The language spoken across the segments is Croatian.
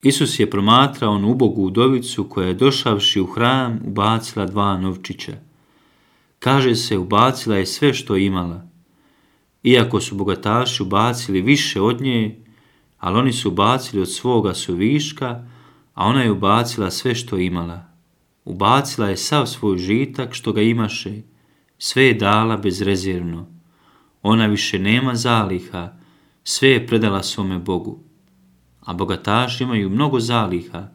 Isus je promatrao onu ubogu udovicu koja je došavši u hram ubacila 2 novčića. Kaže se, ubacila je sve što je imala. Iako su bogataši ubacili više od nje, ali oni su ubacili od svoga suviška, a ona je ubacila sve što je imala. Ubacila je sav svoj žitak što ga imaše, sve je dala bezrezervno. Ona više nema zaliha, sve je predala svome Bogu. A bogataši imaju mnogo zaliha,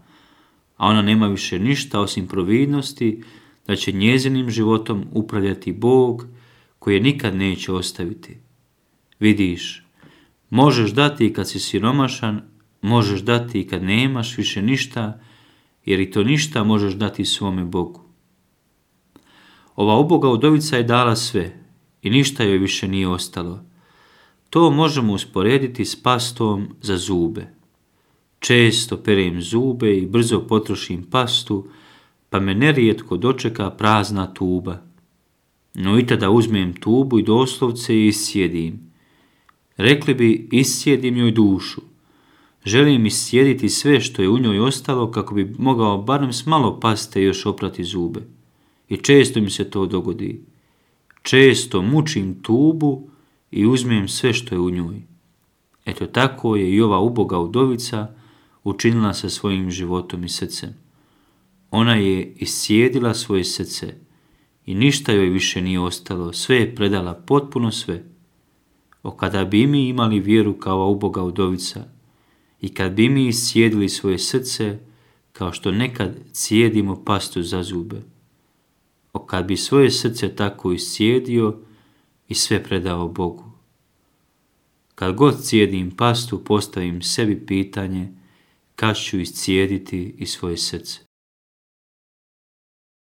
a ona nema više ništa osim providnosti da će njezinim životom upravljati Bog koji je nikad neće ostaviti. Vidiš, možeš dati i kad si siromašan, možeš dati i kad nemaš više ništa, jer i to ništa možeš dati svome Bogu. Ova uboga udovica je dala sve i ništa joj više nije ostalo. To možemo usporediti s pastom za zube. Često perem zube i brzo potrošim pastu, pa me nerijetko dočeka prazna tuba. No i tada uzmem tubu i doslovce iscijedim. Rekli bi, iscijedim joj dušu. Želim iscijediti sve što je u njoj ostalo kako bi mogao barem s malo paste još oprati zube. I često mi se to dogodi. Često mučim tubu i uzmem sve što je u njoj. Eto tako je i ova uboga udovica učinila sa svojim životom i srcem. Ona je iscijedila svoje srce i ništa joj više nije ostalo, sve je predala, potpuno sve. Kada bi mi imali vjeru kao ova uboga udovica i kad bi mi iscijedili svoje srce kao što nekad cijedimo pastu za zube, kad bi svoje srce tako iscijedio i sve predao Bogu. Kad god cijedim pastu, postavim sebi pitanje kad ću iscijediti i svoje srce.